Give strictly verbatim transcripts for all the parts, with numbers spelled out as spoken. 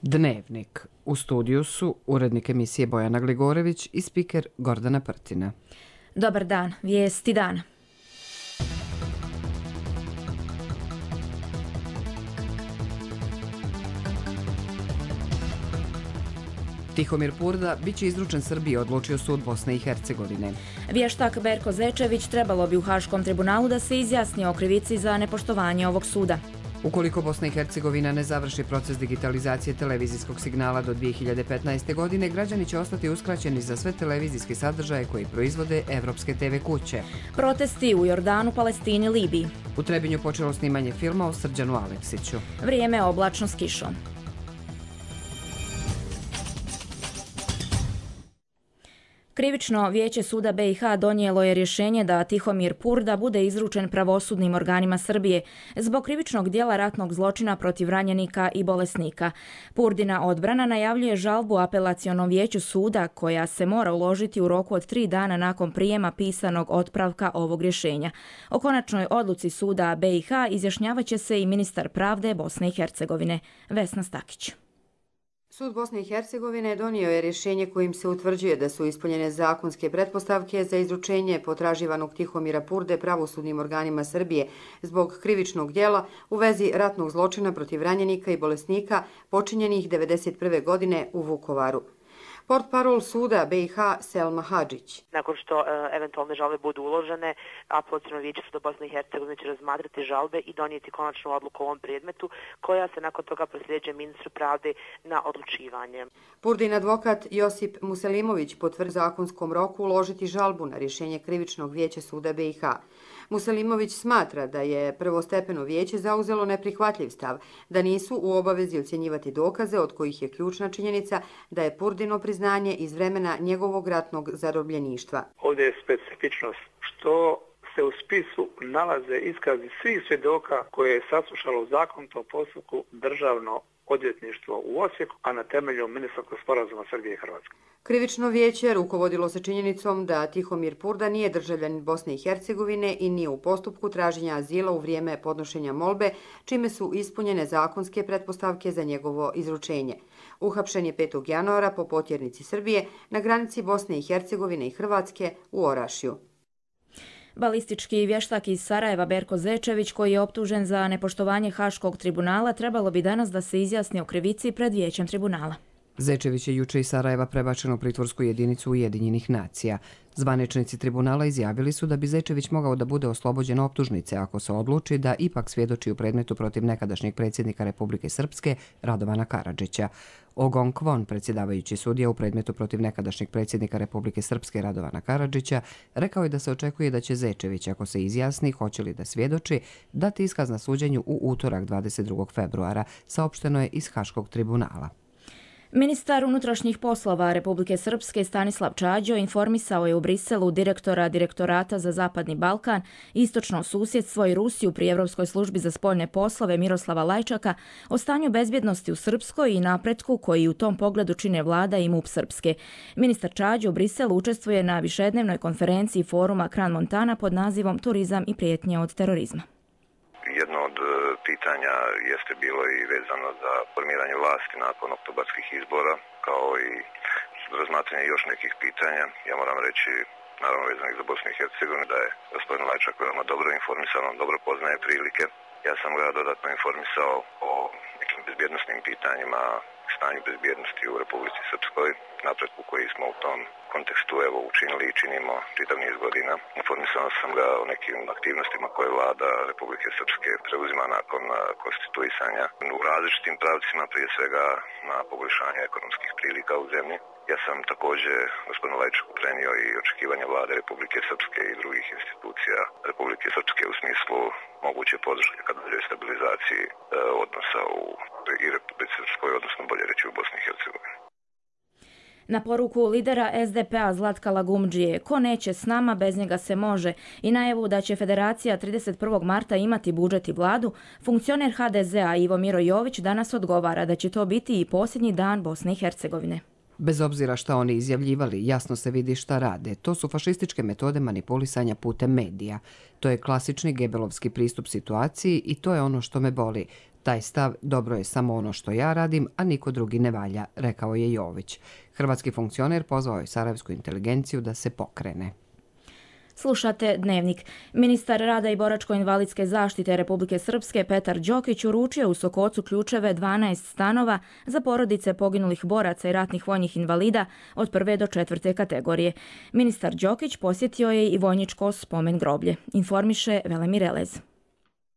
Dnevnik. U studiju su urednik emisije Bojana Gligorević i spiker Gordana Prtina. Dobar dan, vijesti dana. Tihomir Purda bit će izručen Srbiji, odlučio sud Bosne i Hercegovine. Vještak Berko Zečević trebalo bi u Haškom tribunalu da se izjasni o krivici za nepoštovanje ovog suda. Ukoliko Bosna i Hercegovina ne završi proces digitalizacije televizijskog signala do dvije hiljade petnaeste. godine, građani će ostati uskraćeni za sve televizijske sadržaje koji proizvode evropske te ve kuće. Protesti u Jordanu, Palestini, Libiji. U Trebinju počelo snimanje filma o Srđanu Aleksiću. Vrijeme oblačno s kišom. Krivično vijeće suda be i ha donijelo je rješenje da Tihomir Purda bude izručen pravosudnim organima Srbije zbog krivičnog dijela ratnog zločina protiv ranjenika i bolesnika. Purdina odbrana najavljuje žalbu apelacionom vijeću suda koja se mora uložiti u roku od tri dana nakon prijema pisanog otpravka ovog rješenja. O konačnoj odluci suda be i ha izjašnjavat će se i ministar pravde Bosne i Hercegovine Vesna Stakić. Sud Bosne i Hercegovine donio je rješenje kojim se utvrđuje da su ispunjene zakonske pretpostavke za izručenje potraživanog Tihomira Purde pravosudnim organima Srbije zbog krivičnog djela u vezi ratnog zločina protiv ranjenika i bolesnika počinjenih devedeset prve. godine u Vukovaru. Portparol suda be i ha Selma Hadžić. Nakon što e, eventualne žalbe budu uložene, apelaciono vijeće suda Bosne i Hercegovine će razmatrati žalbe i donijeti konačnu odluku o ovom predmetu, koja se nakon toga prosljeđuje ministru pravde na odlučivanje. Purdin advokat Josip Muselimović potvrdi zakonskom roku uložiti žalbu na rješenje krivičnog vijeća suda be i ha. Muselimović smatra da je prvostepeno vijeće zauzelo neprihvatljiv stav, da nisu u obavezi ocjenjivati dokaze od kojih je ključna činjenica da je Purdino priznanje iz vremena njegovog ratnog zarobljeništva. Ovdje je specifičnost što se u spisu nalaze iskazi svih svjedoka koje je saslušalo u zakonitom postupku državno odvjetništvo u Osijeku, a na temelju ministarskog sporazuma Srbije i Hrvatske. Krivično vijeće rukovodilo se činjenicom da Tihomir Purda nije državljanin Bosne i Hercegovine i nije u postupku traženja azila u vrijeme podnošenja molbe, čime su ispunjene zakonske pretpostavke za njegovo izručenje. Uhapšen je petog januara po potjernici Srbije na granici Bosne i Hercegovine i Hrvatske u Orašju. Balistički vještak iz Sarajeva Berko Zečević, koji je optužen za nepoštovanje Haškog tribunala, trebalo bi danas da se izjasni o krivici pred vijećem tribunala. Zečević je juče iz Sarajeva prebačen u pritvorsku jedinicu Ujedinjenih nacija. Zvaničnici tribunala izjavili su da bi Zečević mogao da bude oslobođen optužnice ako se odluči da ipak svjedoči u predmetu protiv nekadašnjeg predsjednika Republike Srpske Radovana Karadžića. Ogon Kvon, predsjedavajući sudija u predmetu protiv nekadašnjeg predsjednika Republike Srpske Radovana Karadžića, rekao je da se očekuje da će Zečević, ako se izjasni hoće li da svjedoči, dati iskaz na suđenju u utorak dvadeset drugog februara, saopšteno je iz Haškog tribunala. Ministar unutrašnjih poslova Republike Srpske Stanislav Čađo informisao je u Briselu direktora Direktorata za Zapadni Balkan, Istočno susjedstvo i Rusiju pri Evropskoj službi za spoljne poslove Miroslava Lajčaka o stanju bezbjednosti u Srpskoj i napretku koji u tom pogledu čine vlada i MUP Srpske. Ministar Čađo u Briselu učestvuje na višednevnoj konferenciji foruma Kran Montana pod nazivom Turizam i prijetnje od terorizma. Jedno od pitanja jeste bilo i vezano za formiranje vlasti nakon oktobarskih izbora, kao i razmatranje još nekih pitanja. Ja moram reći, naravno vezanih za Bosnu i Hercegovinu, da je gospodin Lajčak veoma dobro informisan, on dobro poznaje prilike. Ja sam ga dodatno informisao o nekim bezbjednosnim pitanjima, stanju bezbjednosti u Republici Srpskoj, napretku koji smo u tom kontekstu evo učinili i činimo čitav niz godina. Informisao sam ga o nekim aktivnostima koje vlada Republike Srpske preuzima nakon konstituisanja u različitim pravcima, prije svega na poboljšanje ekonomskih prilika u zemlji. Ja sam također gospodinu Lajčaku prenio i očekivanja vlade Republike Srpske i drugih institucija Republike Srpske u smislu moguće podrške kad dođe stabilizaciji e, odnosa u i Republike Srpskoj, odnosno bolje reći u Bosni i Hercegovini. Na poruku lidera es de pe a Zlatka Lagumdžije, ko neće s nama, bez njega se može, i najavu da će federacija trideset prvog marta imati budžet i vladu, funkcioner ha de ze a Ivo Miro Jović danas odgovara da će to biti i posljednji dan Bosne i Hercegovine. Bez obzira šta oni izjavljivali, jasno se vidi šta rade. To su fašističke metode manipulisanja putem medija. To je klasični gebelovski pristup situaciji i to je ono što me boli. Taj stav dobro je samo ono što ja radim, a niko drugi ne valja, rekao je Jović. Hrvatski funkcioner pozvao je sarajevsku inteligenciju da se pokrene. Slušate Dnevnik. Ministar rada i boračko-invalidske zaštite Republike Srpske Petar Đokić uručio u Sokocu ključeve dvanaest stanova za porodice poginulih boraca i ratnih vojnih invalida od prve do četvrte kategorije. Ministar Đokić posjetio je i vojničko spomen groblje, informiše Velemir Elez.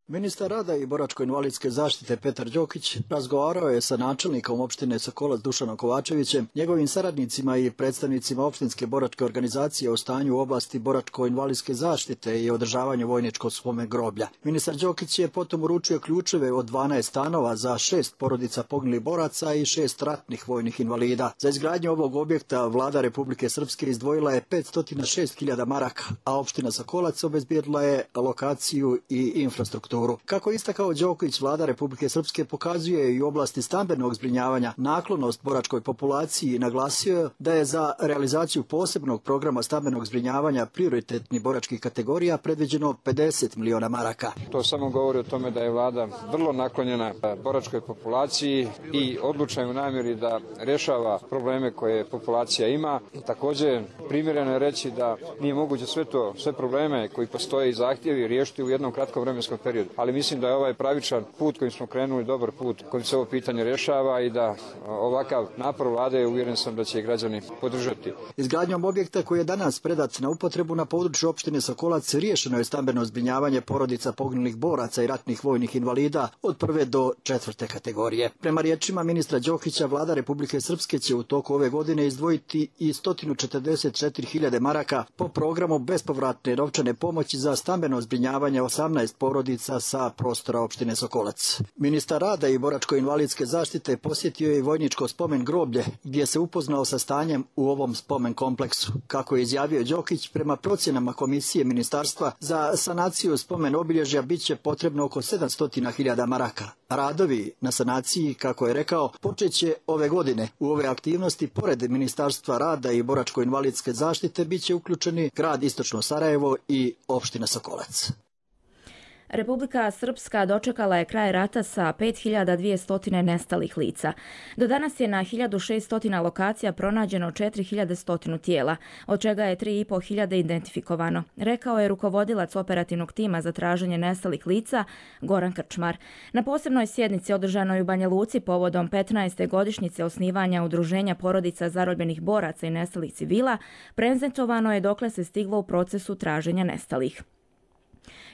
Ministar rada i boračko-invalidske zaštite Petar Đokić razgovarao je sa načelnikom opštine Sokolac Dušanom Kovačevićem, njegovim saradnicima i predstavnicima opštinske boračke organizacije o stanju u oblasti boračko-invalidske zaštite i održavanju vojničkog spomen groblja. Ministar Đokić je potom uručio ključeve od dvanaest stanova za šest porodica poginulih boraca i šest ratnih vojnih invalida. Za izgradnju ovog objekta vlada Republike Srpske izdvojila je petsto šest hiljada maraka, a opština Sokolac obezbijedila je lokaciju i infrastrukturu. Kako istakao Đokić, vlada Republike Srpske pokazuje i u oblasti stambenog zbrinjavanja naklonost boračkoj populaciji i naglasio da je za realizaciju posebnog programa stambenog zbrinjavanja prioritetnih boračkih kategorija predviđeno pedeset miliona maraka. To samo govori o tome da je vlada vrlo naklonjena boračkoj populaciji i odlučna u namjeri da rješava probleme koje populacija ima. Također primjereno je reći da nije moguće sve to, sve probleme koji postoje i zahtjevi riješiti u jednom kratkom vremenskom periodu. Ali mislim da je ovaj pravičan put kojim smo krenuli dobar put kojim se ovo pitanje rješava i da ovakav napor vlade uvjeren sam da će i građani podržati. Izgradnjom objekta koji je danas predat na upotrebu na području opštine Sokolac riješeno je stambeno zbrinjavanje porodica poginulih boraca i ratnih vojnih invalida od prve do četvrte kategorije. Prema riječima ministra Đokića, vlada Republike Srpske će u toku ove godine izdvojiti i sto četrdeset četiri hiljade maraka po programu bespovratne novčane pomoći za stambeno zbrinjavanje osamnaest porodica sa prostora opštine Sokolac. Ministar rada i boračko-invalidske zaštite posjetio je i vojničko spomen groblje, gdje se upoznao sa stanjem u ovom spomen kompleksu. Kako je izjavio Đokić, prema procjenama komisije ministarstva za sanaciju spomen obilježja biće potrebno oko sedamsto hiljada maraka. Radovi na sanaciji, kako je rekao, počeće ove godine. U ove aktivnosti, pored Ministarstva rada i boračko-invalidske zaštite, biće uključeni grad Istočno Sarajevo i opština Sokolac. Republika Srpska dočekala je kraj rata sa pet hiljada dvjesto nestalih lica. Do danas je na hiljadu šesto lokacija pronađeno četiri hiljade sto tijela, od čega je tri i po hiljade identifikovano, rekao je rukovodilac operativnog tima za traženje nestalih lica Goran Krčmar. Na posebnoj sjednici održanoj u Banja Luci povodom petnaeste godišnjice osnivanja Udruženja porodica zarobljenih boraca i nestalih civila, prezentovano je dokle se stiglo u procesu traženja nestalih.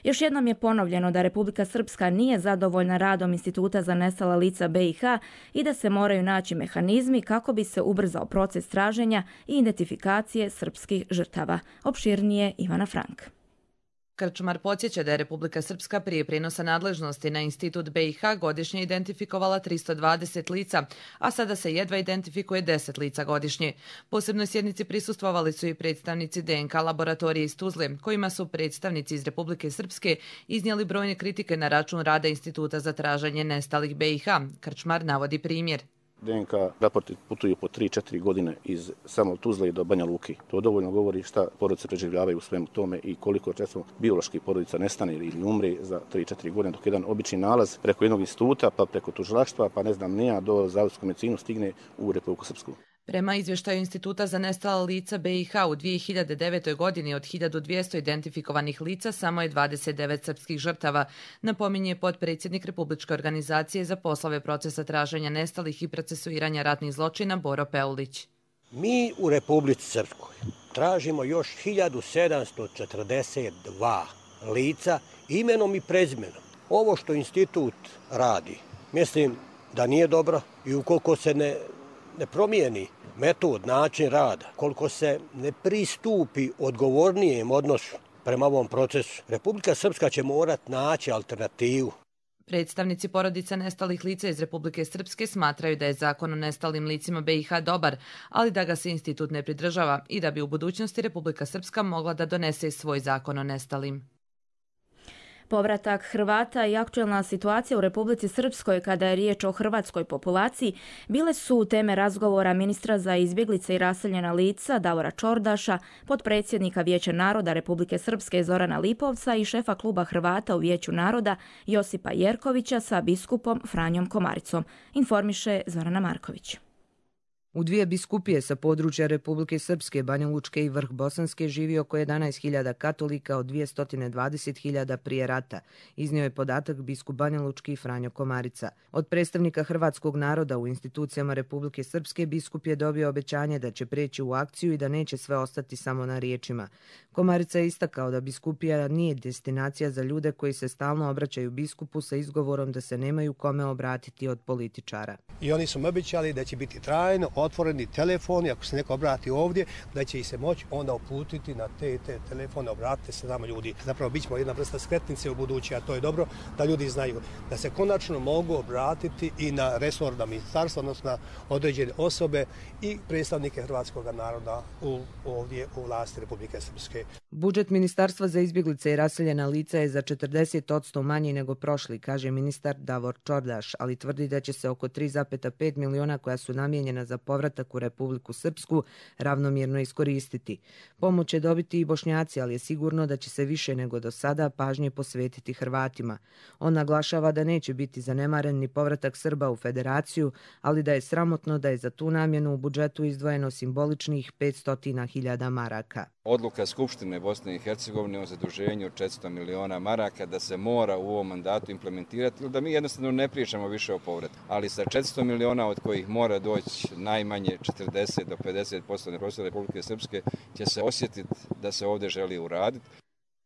Još jednom je ponovljeno da Republika Srpska nije zadovoljna radom Instituta za nestala lica B i H i da se moraju naći mehanizmi kako bi se ubrzao proces traženja i identifikacije srpskih žrtava. Opširnije Ivana Frank. Krčmar podsjeća da je Republika Srpska prije prijenosa nadležnosti na Institut B i H godišnje identifikovala tristo dvadeset lica, a sada se jedva identifikuje deset lica godišnje. Posebnoj sjednici prisustvovali su i predstavnici D N K laboratorije iz Tuzle, kojima su predstavnici iz Republike Srpske iznijeli brojne kritike na račun rada Instituta za traženje nestalih B i H. Krčmar navodi primjer. D N K raporti putuju po tri četiri godine iz samo Tuzle do Banja Luki. To dovoljno govori šta porodice preživljavaju u svemu tome i koliko često bioloških porodica nestane ili umre za tri četiri godine, dok jedan obični nalaz preko jednog instituta, pa preko tužilaštva, pa ne znam nija, do zavodsku medicinu stigne u Republiku Srpsku. Prema izvještaju Instituta za nestala lica B i H u dvije hiljade devetoj. godini od hiljadu dvjesto identifikovanih lica samo je dvadeset devet srpskih žrtava, napominje potpredsjednik Republičke organizacije za poslove procesa traženja nestalih i procesuiranja ratnih zločina Boro Peulić. Mi u Republici Srpskoj tražimo još hiljadu sedamsto četrdeset dva lica imenom i prezimenom. Ovo što institut radi, mislim da nije dobro i ukoliko se ne ne promijeni metod, način rada, koliko se ne pristupi odgovornijem odnosu prema ovom procesu, Republika Srpska će morati naći alternativu. Predstavnici porodica nestalih lica iz Republike Srpske smatraju da je zakon o nestalim licima B i H dobar, ali da ga se institut ne pridržava i da bi u budućnosti Republika Srpska mogla da donese svoj zakon o nestalim. Povratak Hrvata i aktuelna situacija u Republici Srpskoj kada je riječ o hrvatskoj populaciji bile su teme razgovora ministra za izbjeglice i raseljena lica Davora Čordaša, potpredsjednika Vijeća naroda Republike Srpske Zorana Lipovca i šefa kluba Hrvata u Vijeću naroda Josipa Jerkovića sa biskupom Franjom Komaricom, informiše Zorana Marković. U dvije biskupije sa područja Republike Srpske, Banja Lučke i Vrh Bosanske živi oko jedanaest hiljada katolika od dvjesto dvadeset hiljada prije rata, iznio je podatak biskup Banja Lučki Franjo Komarica. Od predstavnika hrvatskog naroda u institucijama Republike Srpske biskup je dobio obećanje da će preći u akciju i da neće sve ostati samo na riječima. Komarica je istakao da biskupija nije destinacija za ljude koji se stalno obraćaju biskupu sa izgovorom da se nemaju kome obratiti od političara. I oni su mi obećali da će biti trajno otvoreni telefoni, ako se neko obrati ovdje, da će ih se moći onda uputiti na te te telefone, obratite se nama ljudi. Zapravo bit ćemo jedna vrsta skretnice u budući, a to je dobro da ljudi znaju da se konačno mogu obratiti i na resorna ministarstva, odnosno na određene osobe i predstavnike hrvatskog naroda u, ovdje u vlasti Republike Srpske. Budžet Ministarstva za izbjeglice i raseljena lica je za četrdeset posto manji nego prošli, kaže ministar Davor Čordaš, ali tvrdi da će se oko tri zarez pet miliona koja su namijenjena za povratak u Republiku Srpsku ravnomjerno iskoristiti. Pomoć će dobiti i Bošnjaci, ali je sigurno da će se više nego do sada pažnje posvetiti Hrvatima. On naglašava da neće biti zanemaren ni povratak Srba u federaciju, ali da je sramotno da je za tu namjenu u budžetu izdvojeno simboličnih petsto hiljada maraka. Odluka Skupštine Bosne i Hercegovine o zaduženju od četiristo miliona maraka da se mora u ovom mandatu implementirati, ili da mi jednostavno ne pričamo više o povratku. Ali sa četiristo miliona od kojih mora doći najmanje četrdeset do pedeset posto na prostoru Republike Srpske će se osjetiti da se ovdje želi uraditi.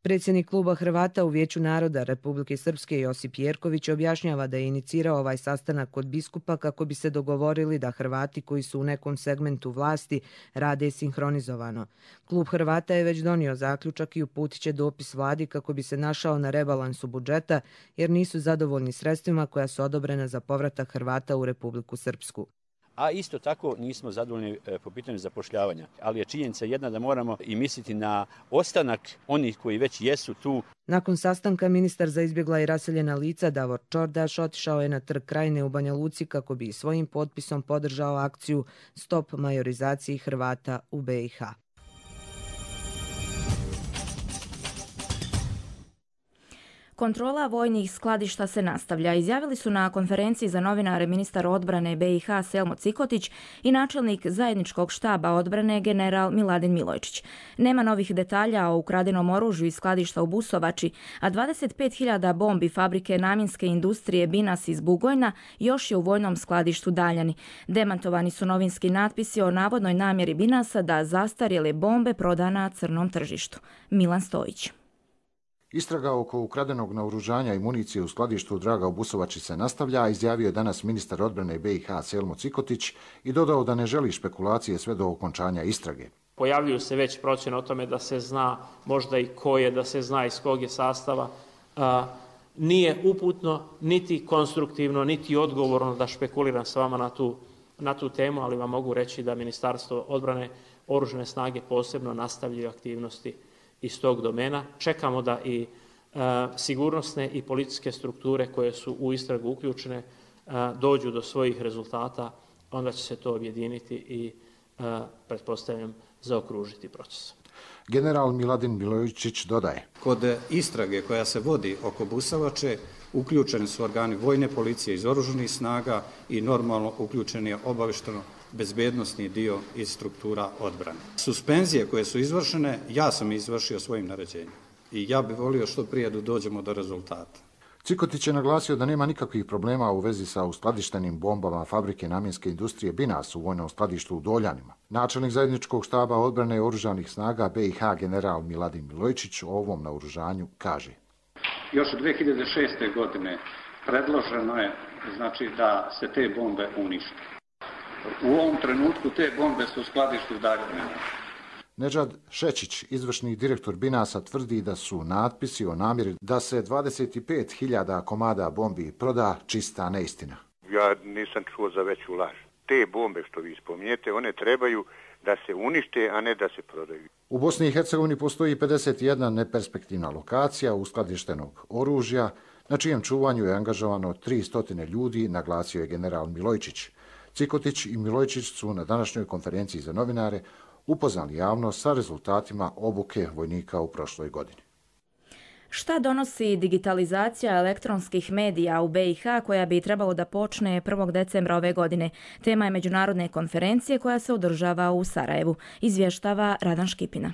Predsjednik kluba Hrvata u Vijeću naroda Republike Srpske Josip Jerković objašnjava da je inicirao ovaj sastanak kod biskupa kako bi se dogovorili da Hrvati koji su u nekom segmentu vlasti rade sinhronizovano. Klub Hrvata je već donio zaključak i uputit će dopis vladi kako bi se našao na rebalansu budžeta jer nisu zadovoljni sredstvima koja su odobrena za povratak Hrvata u Republiku Srpsku. A isto tako nismo zadovoljni po pitanju zapošljavanja. Ali je činjenica jedna da moramo i misliti na ostanak onih koji već jesu tu. Nakon sastanka ministar za izbjegla i raseljena lica Davor Čordaš otišao je na Trg Krajine u Banja Luci kako bi svojim potpisom podržao akciju Stop majorizaciji Hrvata u B i H. Kontrola vojnih skladišta se nastavlja. Izjavili su na konferenciji za novinare ministar odbrane B i H Selmo Cikotić i načelnik zajedničkog štaba odbrane general Miladin Milojčić. Nema novih detalja o ukradenom oružju iz skladišta u Busovači, a dvadeset pet hiljada bombi fabrike namjenske industrije Binas iz Bugojna još je u vojnom skladištu Daljani. Demantovani su novinski natpisi o navodnoj namjeri Binasa da zastarjele bombe proda na crnom tržištu. Milan Stojić. Istraga oko ukradenog naoružanja i municije u skladištu Draga u Busovači se nastavlja, izjavio je danas ministar odbrane B i H Selmo Cikotić i dodao da ne želi špekulacije sve do okončanja istrage. Pojavljuju se već procjene o tome da se zna možda i ko je, da se zna iz kog je sastava. A, nije uputno, niti konstruktivno, niti odgovorno da špekuliram s vama na tu, na tu temu, ali vam mogu reći da Ministarstvo odbrane, oružane snage posebno nastavljaju aktivnosti iz tog domena. Čekamo da i e, sigurnosne i policijske strukture koje su u istragu uključene e, dođu do svojih rezultata, onda će se to objediniti i e, pretpostavljam zaokružiti proces. General Miladin Milojčić dodaje. Kod istrage koja se vodi oko Busovače uključeni su organi vojne policije iz oružanih snaga i normalno uključen je obavešteno bezbednosni dio iz struktura odbrane. Suspenzije koje su izvršene, ja sam izvršio svojim naređenjem i ja bih volio što prije da dođemo do rezultata. Cikotić je naglasio da nema nikakvih problema u vezi sa uskladištenim bombama fabrike namjenske industrije Binas u vojnom skladištu u Doljanima. Načelnik zajedničkog štaba odbrane oružanih snaga B i H general Miladin Milojčić o ovom naoružanju kaže. Još od dvije hiljade šeste. godine predloženo je znači, da se te bombe unište. U ovom trenutku te bombe su u skladištu Daljine. Nedžad Šečić, izvršni direktor Binasa, tvrdi da su natpisi o namjeri da se dvadeset pet hiljada komada bombi proda čista neistina. Ja nisam čuo za veću laž. Te bombe što vi spominjete, one trebaju da se unište, a ne da se prodaju. U Bosni i Hercegovini postoji pedeset jedna neperspektivna lokacija uskladištenog oružja, na čijem čuvanju je angažovano tristo ljudi, naglasio je general Milojčić. Cikotić i Milojčić su na današnjoj konferenciji za novinare upoznali javnost sa rezultatima obuke vojnika u prošloj godini. Šta donosi digitalizacija elektronskih medija u be i ha koja bi trebalo da počne prvog decembra ove godine? Tema je međunarodne konferencije koja se održava u Sarajevu. Izvještava Radan Škipina.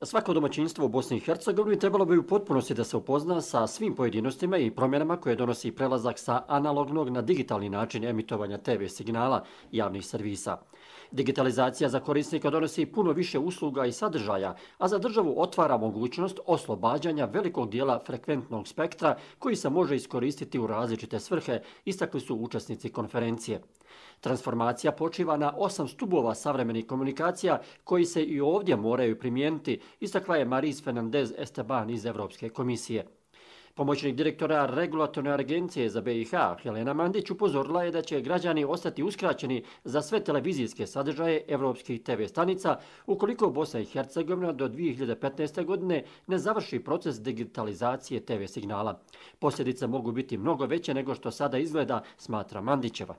Svako domaćinstvo u Bosni i Hercegovini trebalo bi u potpunosti da se upozna sa svim pojedinostima i promjenama koje donosi prelazak sa analognog na digitalni način emitovanja te ve signala javnih servisa. Digitalizacija za korisnika donosi puno više usluga i sadržaja, a za državu otvara mogućnost oslobađanja velikog dijela frekventnog spektra koji se može iskoristiti u različite svrhe, istakli su učesnici konferencije. Transformacija počiva na osam stubova savremenih komunikacija koji se i ovdje moraju primijeniti, istakla je Maris Fernandez Esteban iz Evropske komisije. Pomoćnik direktora Regulatorne agencije za be i ha, Helena Mandić, upozorila je da će građani ostati uskraćeni za sve televizijske sadržaje evropskih te ve stanica ukoliko Bosna i Hercegovina do dvije hiljade petnaeste. godine ne završi proces digitalizacije te ve signala. Posljedice mogu biti mnogo veće nego što sada izgleda, smatra Mandićeva.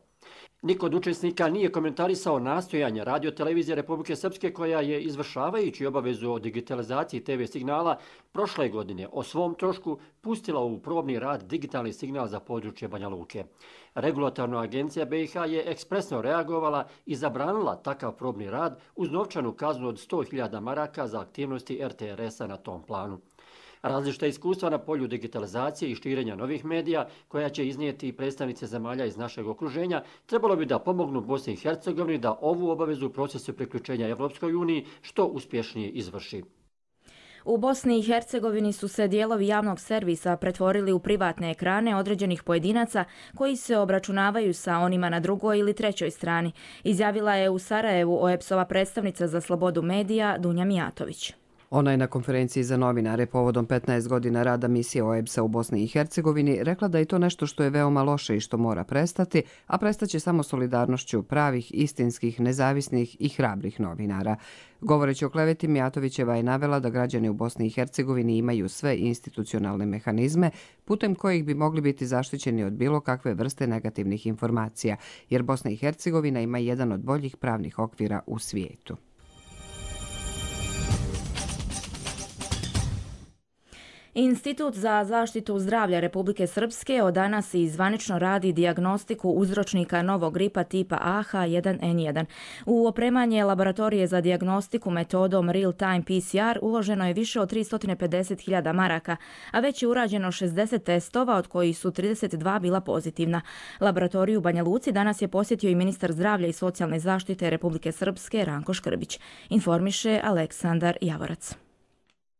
Niko od učesnika nije komentarisao nastojanja Radio-televizije Republike Srpske koja je, izvršavajući obavezu o digitalizaciji te ve signala, prošle godine o svom trošku pustila u probni rad digitalni signal za područje Banja Luke. Regulatorna agencija be i ha je ekspresno reagovala i zabranila takav probni rad uz novčanu kaznu od sto hiljada maraka za aktivnosti er te er es-a na tom planu. Različita iskustva na polju digitalizacije i širenja novih medija, koja će iznijeti predstavnice zemalja iz našeg okruženja, trebalo bi da pomognu Bosni i Hercegovini da ovu obavezu u procesu priključenja Evropskoj uniji što uspješnije izvrši. U Bosni i Hercegovini su se dijelovi javnog servisa pretvorili u privatne ekrane određenih pojedinaca koji se obračunavaju sa onima na drugoj ili trećoj strani, izjavila je u Sarajevu o e pe es-ova predstavnica za slobodu medija Dunja Mijatović. Ona je na konferenciji za novinare povodom petnaest godina rada misije o e pe es-a u Bosni i Hercegovini rekla da je to nešto što je veoma loše i što mora prestati, a prestaće samo solidarnošću pravih, istinskih, nezavisnih i hrabrih novinara. Govoreći o kleveti, Mijatovićeva je navela da građani u Bosni i Hercegovini imaju sve institucionalne mehanizme putem kojih bi mogli biti zaštićeni od bilo kakve vrste negativnih informacija, jer Bosna i Hercegovina ima jedan od boljih pravnih okvira u svijetu. Institut za zaštitu zdravlja Republike Srpske od danas i zvanično radi dijagnostiku uzročnika novog gripa tipa a ha jedan en jedan. U opremanje laboratorije za dijagnostiku metodom real-time pe ce er uloženo je više od tristo pedeset hiljada maraka, a već je urađeno šezdeset testova, od kojih su trideset dva bila pozitivna. Laboratoriju u Banja Luci danas je posjetio i ministar zdravlja i socijalne zaštite Republike Srpske Ranko Škrbić, informiše Aleksandar Javorac.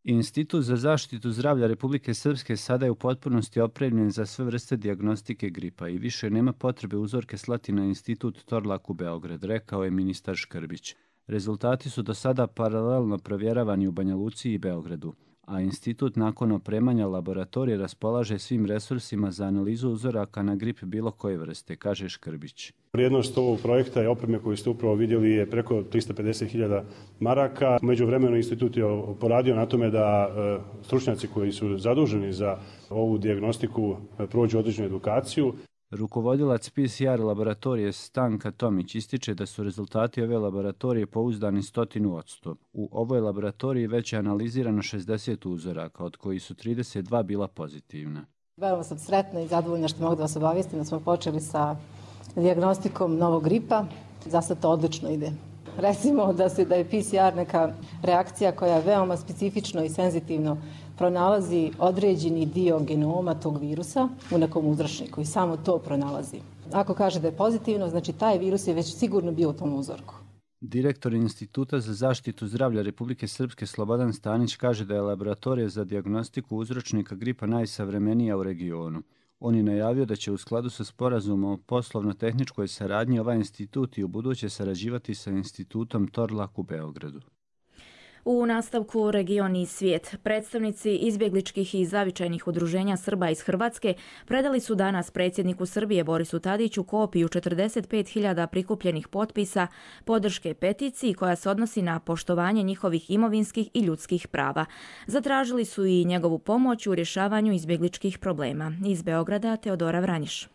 Institut za zaštitu zdravlja Republike Srpske sada je u potpunosti opremljen za sve vrste dijagnostike gripa i više nema potrebe uzorke slati na Institut Torlak u Beograd, rekao je ministar Škrbić. Rezultati su do sada paralelno provjeravani u Banja Luci i Beogradu, a institut nakon opremanja laboratorije raspolaže svim resursima za analizu uzoraka na grip bilo koje vrste, kaže Škrbić. Vrijednost ovog projekta i opreme koju ste upravo vidjeli je preko tristo pedeset hiljada maraka. U međuvremenu institut je poradio na tome da stručnjaci koji su zaduženi za ovu dijagnostiku prođu određenu edukaciju. Rukovodilac pe ce er laboratorije Stanka Tomić ističe da su rezultati ove laboratorije pouzdani stotinu odsto. U ovoj laboratoriji već je analizirano šezdeset uzoraka, od kojih su trideset dva bila pozitivna. Veoma sam sretna i zadovoljna što mogu da vas obavijestim da smo počeli sa dijagnostikom novog gripa. Za sad to odlično ide. Recimo da, se, da je pe ce er neka reakcija koja veoma specifično i senzitivno pronalazi određeni dio genoma tog virusa u nekom uzročniku i samo to pronalazi. Ako kaže da je pozitivno, znači taj virus je već sigurno bio u tom uzorku. Direktor Instituta za zaštitu zdravlja Republike Srpske Slobodan Stanić kaže da je laboratorija za dijagnostiku uzročnika gripa najsavremenija u regionu. On je najavio da će u skladu sa sporazumom o poslovno-tehničkoj saradnji ovaj institut i u buduće sarađivati sa institutom Torlak u Beogradu. U nastavku Region i svijet, predstavnici izbjegličkih i zavičajnih udruženja Srba iz Hrvatske predali su danas predsjedniku Srbije Borisu Tadiću kopiju četrdeset pet hiljada prikupljenih potpisa podrške peticiji koja se odnosi na poštovanje njihovih imovinskih i ljudskih prava. Zatražili su i njegovu pomoć u rješavanju izbjegličkih problema. Iz Beograda Teodora Vranjiš.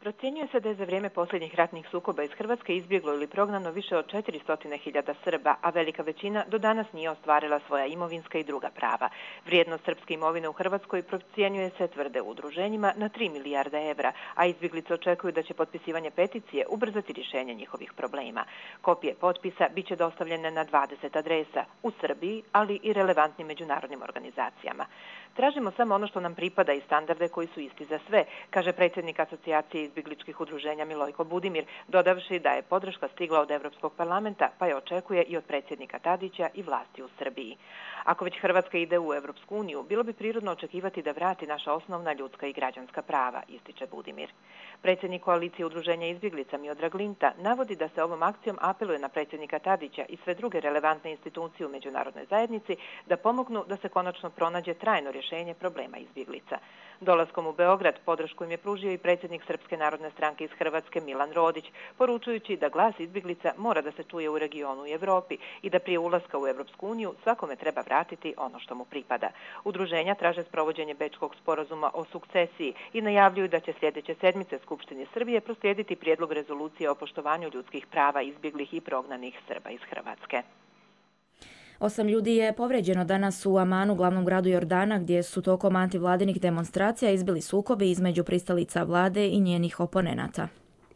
Procjenjuje se da je za vrijeme posljednjih ratnih sukoba iz Hrvatske izbjeglo ili prognano više od četiristo hiljada Srba, a velika većina do danas nije ostvarila svoja imovinska i druga prava. Vrijednost srpske imovine u Hrvatskoj procjenjuje se, tvrde u udruženjima, na tri milijarde evra, a izbjeglice očekuju da će potpisivanje peticije ubrzati rješenje njihovih problema. Kopije potpisa bit će dostavljene na dvadeset adresa u Srbiji, ali i relevantnim međunarodnim organizacijama. Tražimo samo ono što nam pripada i standarde koji su isti za sve, kaže predsjednik Asocijacije izbjegličkih udruženja Milojko Budimir, dodavši da je podrška stigla od Europskog parlamenta, pa je očekuje i od predsjednika Tadića i vlasti u Srbiji. Ako već Hrvatska ide u Europsku uniju, bilo bi prirodno očekivati da vrati naša osnovna ljudska i građanska prava, ističe Budimir. Predsjednik koalicije udruženja izbjeglica Miodrag Linta navodi da se ovom akcijom apeluje na predsjednika Tadića i sve druge relevantne institucije u međunarodnoj zajednici da pomognu da se konačno pronađe trajno rješenje problema izbjeglica. Dolaskom u Beograd podršku im je pružio i predsjednik Srpske narodne stranke iz Hrvatske Milan Rodić, poručujući da glas izbjeglica mora da se čuje u regionu i Evropi i da prije ulaska u Europsku uniju svakome treba vratiti ono što mu pripada. Udruženja traže sprovođenje Bečkog sporazuma o sukcesiji i najavljuju da će sljedeće sedmice Skupštine Srbije proslijediti prijedlog rezolucije o poštovanju ljudskih prava izbjeglih i prognanih Srba iz Hrvatske. Osam ljudi je povređeno danas u Amanu, glavnom gradu Jordana, gdje su tokom antivladinih demonstracija izbili sukobi između pristalica vlade i njenih oponenata.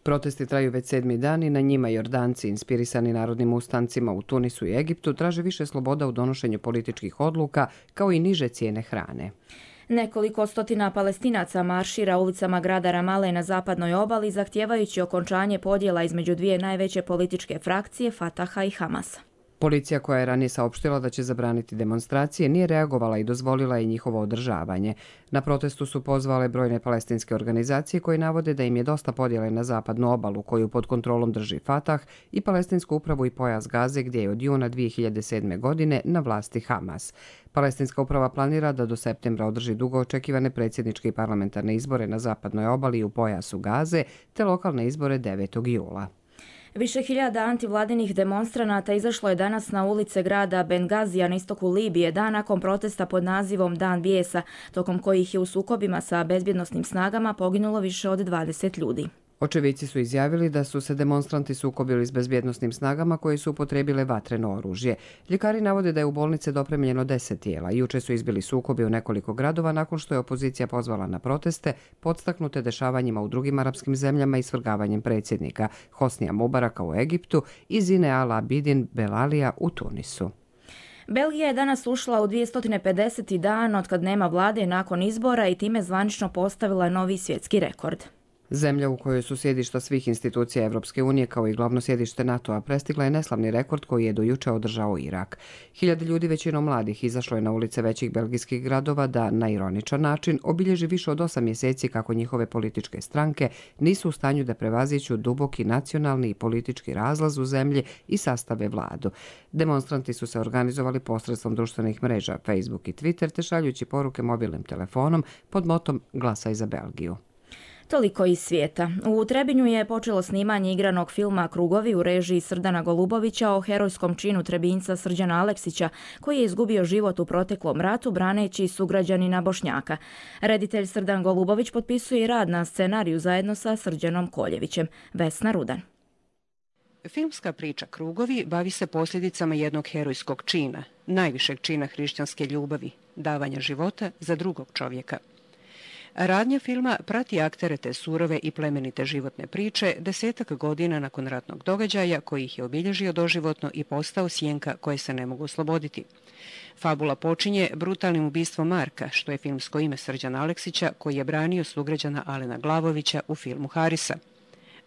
Protesti traju već sedmi dan i na njima Jordanci, inspirisani narodnim ustancima u Tunisu i Egiptu, traže više sloboda u donošenju političkih odluka, kao i niže cijene hrane. Nekoliko stotina Palestinaca maršira ulicama grada Ramale na zapadnoj obali, zahtijevajući okončanje podjela između dvije najveće političke frakcije, Fataha i Hamasa. Policija, koja je ranije saopštila da će zabraniti demonstracije, nije reagovala i dozvolila je njihovo održavanje. Na protestu su pozvale brojne palestinske organizacije koje navode da im je dosta podjele na zapadnu obalu, koju pod kontrolom drži Fatah, i palestinsku upravu i pojas Gaze, gdje je od juna dvije hiljade sedme. godine na vlasti Hamas. Palestinska uprava planira da do septembra održi dugo očekivane predsjedničke i parlamentarne izbore na zapadnoj obali i u pojasu Gaze, te lokalne izbore devetog jula. Više hiljada antivladinih demonstranata izašlo je danas na ulice grada Bengazija na istoku Libije dan nakon protesta pod nazivom Dan bijesa, tokom kojih je u sukobima sa bezbjednosnim snagama poginulo više od dvadeset ljudi. Očevici su izjavili da su se demonstranti sukobili s bezbjednosnim snagama koje su upotrijebile vatreno oružje. Ljekari navode da je u bolnice dopremljeno deset tijela. Juče su izbili sukobi u nekoliko gradova nakon što je opozicija pozvala na proteste, podstaknute dešavanjima u drugim arapskim zemljama i svrgavanjem predsjednika Hosnija Mubaraka u Egiptu i Zine Al Abidin Belalija u Tunisu. Belgija je danas ušla u dvjesto pedeseti dan otkad nema vlade nakon izbora i time zvanično postavila novi svjetski rekord. Zemlja u kojoj su sjedišta svih institucija Evropske unije kao i glavno sjedište NATO-a prestigla je neslavni rekord koji je do juče održao Irak. Hiljade ljudi, većinom mladih, izašlo je na ulice većih belgijskih gradova da, na ironičan način, obilježi više od osam mjeseci kako njihove političke stranke nisu u stanju da prevaziću duboki nacionalni i politički razlaz u zemlji i sastave vladu. Demonstranti su se organizovali posredstvom društvenih mreža Facebook i Twitter, te šaljući poruke mobilnim telefonom pod motom Glasaj za Belgiju. Toliko iz svijeta. U Trebinju je počelo snimanje igranog filma Krugovi u režiji Srdana Golubovića o herojskom činu Trebinjca Srđana Aleksića, koji je izgubio život u proteklom ratu braneći sugrađanina Bošnjaka. Reditelj Srdan Golubović potpisuje i rad na scenariju zajedno sa Srđanom Koljevićem. Vesna Rudan. Filmska priča Krugovi bavi se posljedicama jednog herojskog čina, najvišeg čina hrišćanske ljubavi, davanja života za drugog čovjeka. Radnja filma prati aktere te surove i plemenite životne priče desetak godina nakon ratnog događaja koji ih je obilježio doživotno i postao sjenka koje se ne mogu osloboditi. Fabula počinje brutalnim ubistvom Marka, što je filmsko ime Srđana Aleksića, koji je branio sugrađana Alena Glavovića u filmu Harisa.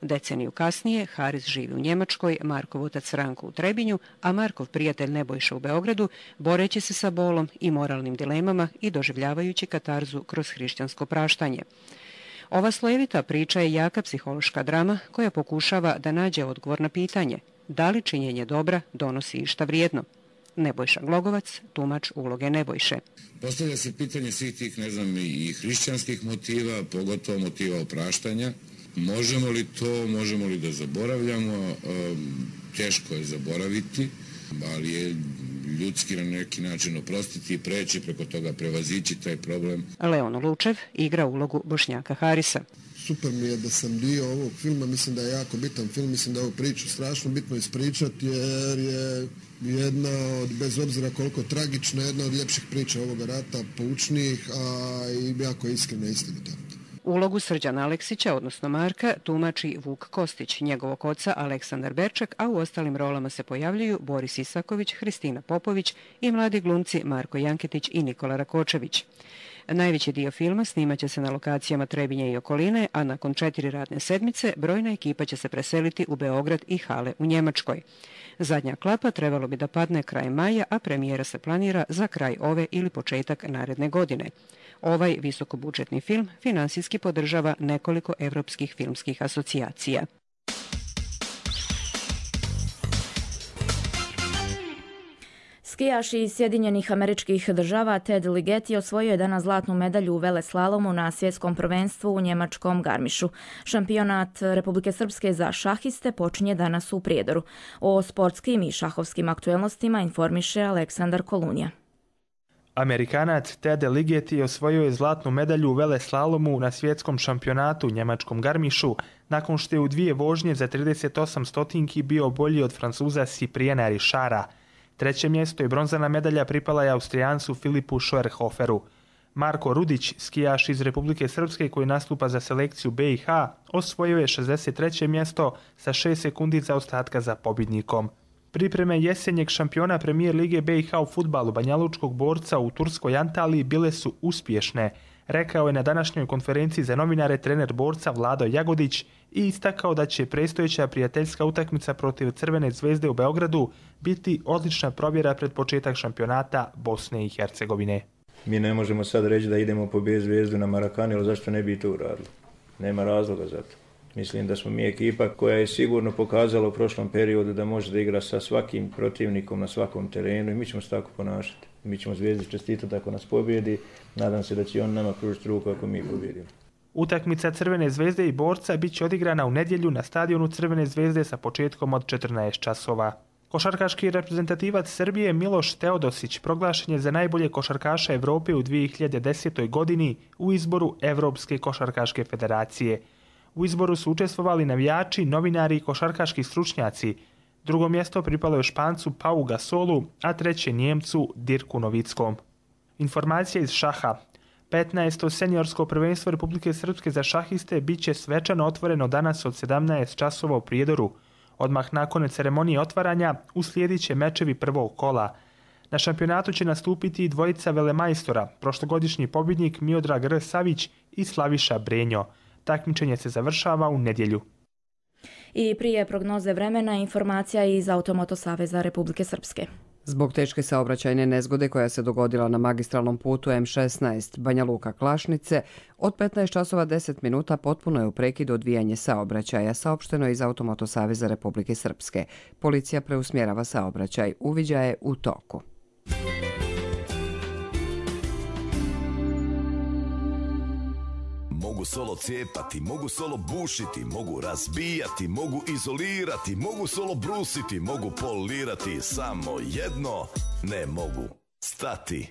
Deceniju kasnije Haris živi u Njemačkoj, Markov otac Ranko u Trebinju, a Markov prijatelj Nebojša u Beogradu, boreći se sa bolom i moralnim dilemama i doživljavajući katarzu kroz hrišćansko praštanje. Ova slojevita priča je jaka psihološka drama koja pokušava da nađe odgovor na pitanje da li činjenje dobra donosi išta vrijedno. Nebojša Glogovac, tumač uloge Nebojše. Postavlja se pitanje svih tih, ne znam, i hrišćanskih motiva, pogotovo motiva opraštanja. Možemo li to, možemo li da zaboravljamo? Teško je zaboraviti, ali je ljudski na neki način oprostiti i preći, preko toga prevazići taj problem. Leon Lučev igra ulogu Bošnjaka Harisa. Super mi je da sam dio ovog filma, mislim da je jako bitan film, mislim da je ovu priču strašno bitno ispričati jer je jedna od, bez obzira koliko tragična, jedna od ljepših priča ovoga rata, poučnijih, a i jako iskrena i istinita. Ulogu Srđana Aleksića, odnosno Marka, tumači Vuk Kostić, njegovog oca Aleksandar Berčak, a u ostalim rolama se pojavljuju Boris Isaković, Hristina Popović i mladi glumci Marko Janketić i Nikola Rakočević. Najveći dio filma snimat će se na lokacijama Trebinje i okoline, a nakon četiri radne sedmice brojna ekipa će se preseliti u Beograd i hale u Njemačkoj. Zadnja klapa trebalo bi da padne kraj maja, a premijera se planira za kraj ove ili početak naredne godine. Ovaj visokobudžetni film finansijski podržava nekoliko evropskih filmskih asocijacija. Skijaš iz Sjedinjenih Američkih Država Ted Ligeti osvojio je danas zlatnu medalju u veleslalomu na svjetskom prvenstvu u njemačkom Garmišu. Šampionat Republike Srpske za šahiste počinje danas u Prijedoru. O sportskim i šahovskim aktuelnostima informiše Aleksandar Kolunija. Amerikanac Ted Ligeti osvojio je zlatnu medalju u veleslalomu na svjetskom šampionatu u njemačkom Garmišu, nakon što je u dvije vožnje za trideset osam stotinki bio bolji od Francuza Cypriena Richarda. Treće mjesto i bronzana medalja pripala je Austrijancu Filipu Schoerhoferu. Marko Rudić, skijaš iz Republike Srpske koji nastupa za selekciju B i H, osvojio je šezdeset treće mjesto sa šest sekundi zaostatka za pobjednikom. Pripreme jesenjeg šampiona Premijer Lige B i H u fudbalu banjalučkog borca u turskoj Antaliji bile su uspješne, rekao je na današnjoj konferenciji za novinare trener borca Vlado Jagodić i istakao da će predstojeća prijateljska utakmica protiv Crvene zvezde u Beogradu biti odlična provjera pred početak šampionata Bosne i Hercegovine. Mi ne možemo sad reći da idemo pobijeti Zvezdu na Marakani, ali zašto ne bi to uradili? Nema razloga za to. Mislim da smo mi ekipa koja je sigurno pokazala u prošlom periodu da može da igra sa svakim protivnikom na svakom terenu i mi ćemo se tako ponašati. Mi ćemo Zvezdi čestitati ako nas pobjedi, nadam se da će on nama pružiti ruku ako mi pobjedimo. Utakmica Crvene zvezde i borca bit će odigrana u nedjelju na stadionu Crvene zvezde sa početkom od četrnaest časova. Košarkaški reprezentativac Srbije Miloš Teodosić proglašen je za najbolje košarkaša Evrope u dvije hiljade desetoj. godini u izboru Evropske košarkaške federacije. U izboru su učestvovali navijači, novinari i košarkaški stručnjaci. Drugo mjesto pripalo je Špancu Pau Gasolu, a treće Njemcu Dirku Novickom. Informacija iz šaha. petnaesto seniorsko prvenstvo Republike Srpske za šahiste bit će svečano otvoreno danas od sedamnaest časova u Prijedoru. Odmah nakon ceremonije otvaranja uslijedit će mečevi prvog kola. Na šampionatu će nastupiti i dvojica velemajstora, prošlogodišnji pobjednik Miodrag R. Savić i Slaviša Brenjo. Takmičenje se završava u nedjelju. I prije prognoze vremena informacija iz Automoto Saveza Republike Srpske. Zbog teške saobraćajne nezgode koja se dogodila na magistralnom putu M šesnaest Banja Luka Klašnice, od petnaest časova deset minuta potpuno je u prekidu odvijanje saobraćaja, saopšteno je iz Automoto Saveza Republike Srpske. Policija preusmjerava saobraćaj, uviđaj je u toku. Mogu solo cijepati, mogu solo bušiti, mogu razbijati, mogu izolirati, mogu solo brusiti, mogu polirati, samo jedno ne mogu stati.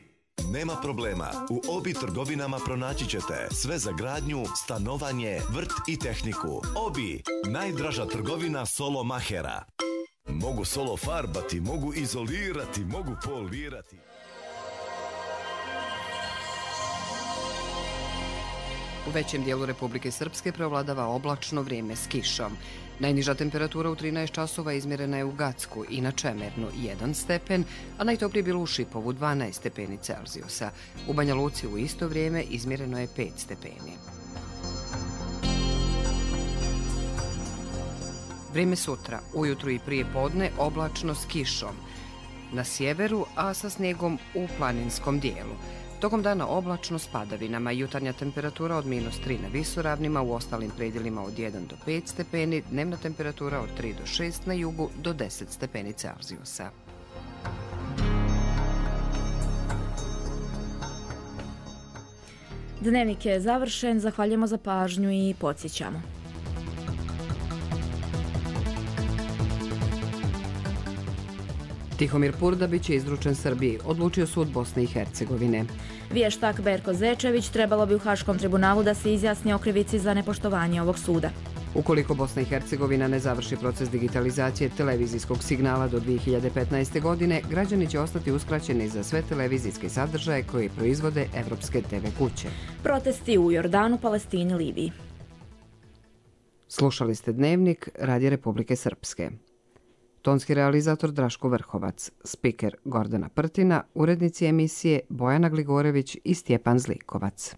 Nema problema, u Obi trgovinama pronaći ćete sve za gradnju, stanovanje, vrt i tehniku. Obi, najdraža trgovina solo mahera. Mogu solo farbati, mogu izolirati, mogu polirati. U većem dijelu Republike Srpske preovladava oblačno vrijeme s kišom. Najniža temperatura u trinaest časova izmjerena je u Gacku i na Čemernu jedan stepen, a najtoplije bilo u Šipovu dvanaest stepeni Celzijusa. U Banja Luci u isto vrijeme izmjereno je pet stepeni. Vrijeme sutra, ujutru i prije podne oblačno s kišom. Na sjeveru, a sa snijegom u planinskom dijelu. Tokom dana oblačno s padavinama, jutarnja temperatura od minus tri na visoravnima, u ostalim predjelima od jedan do pet stepeni, dnevna temperatura od tri do šest na jugu do deset stepeni Celzijusa. Dnevnik je završen, zahvaljujemo za pažnju i podsjećamo. Tihomir Purda biće izručen Srbiji, odlučio sud Bosne i Hercegovine. Vještak Berko Zečević trebalo bi u Haškom tribunalu da se izjasni o krivici za nepoštovanje ovog suda. Ukoliko Bosna i Hercegovina ne završi proces digitalizacije televizijskog signala do dvije hiljade petnaeste. godine, građani će ostati uskraćeni za sve televizijske sadržaje koje proizvode evropske te ve kuće. Protesti u Jordanu, Palestini, Libiji. Slušali ste Dnevnik Radija Republike Srpske. Tonski realizator Draško Vrhovac, spiker Gordana Prtina, urednici emisije Bojana Gligorević i Stjepan Zlikovac.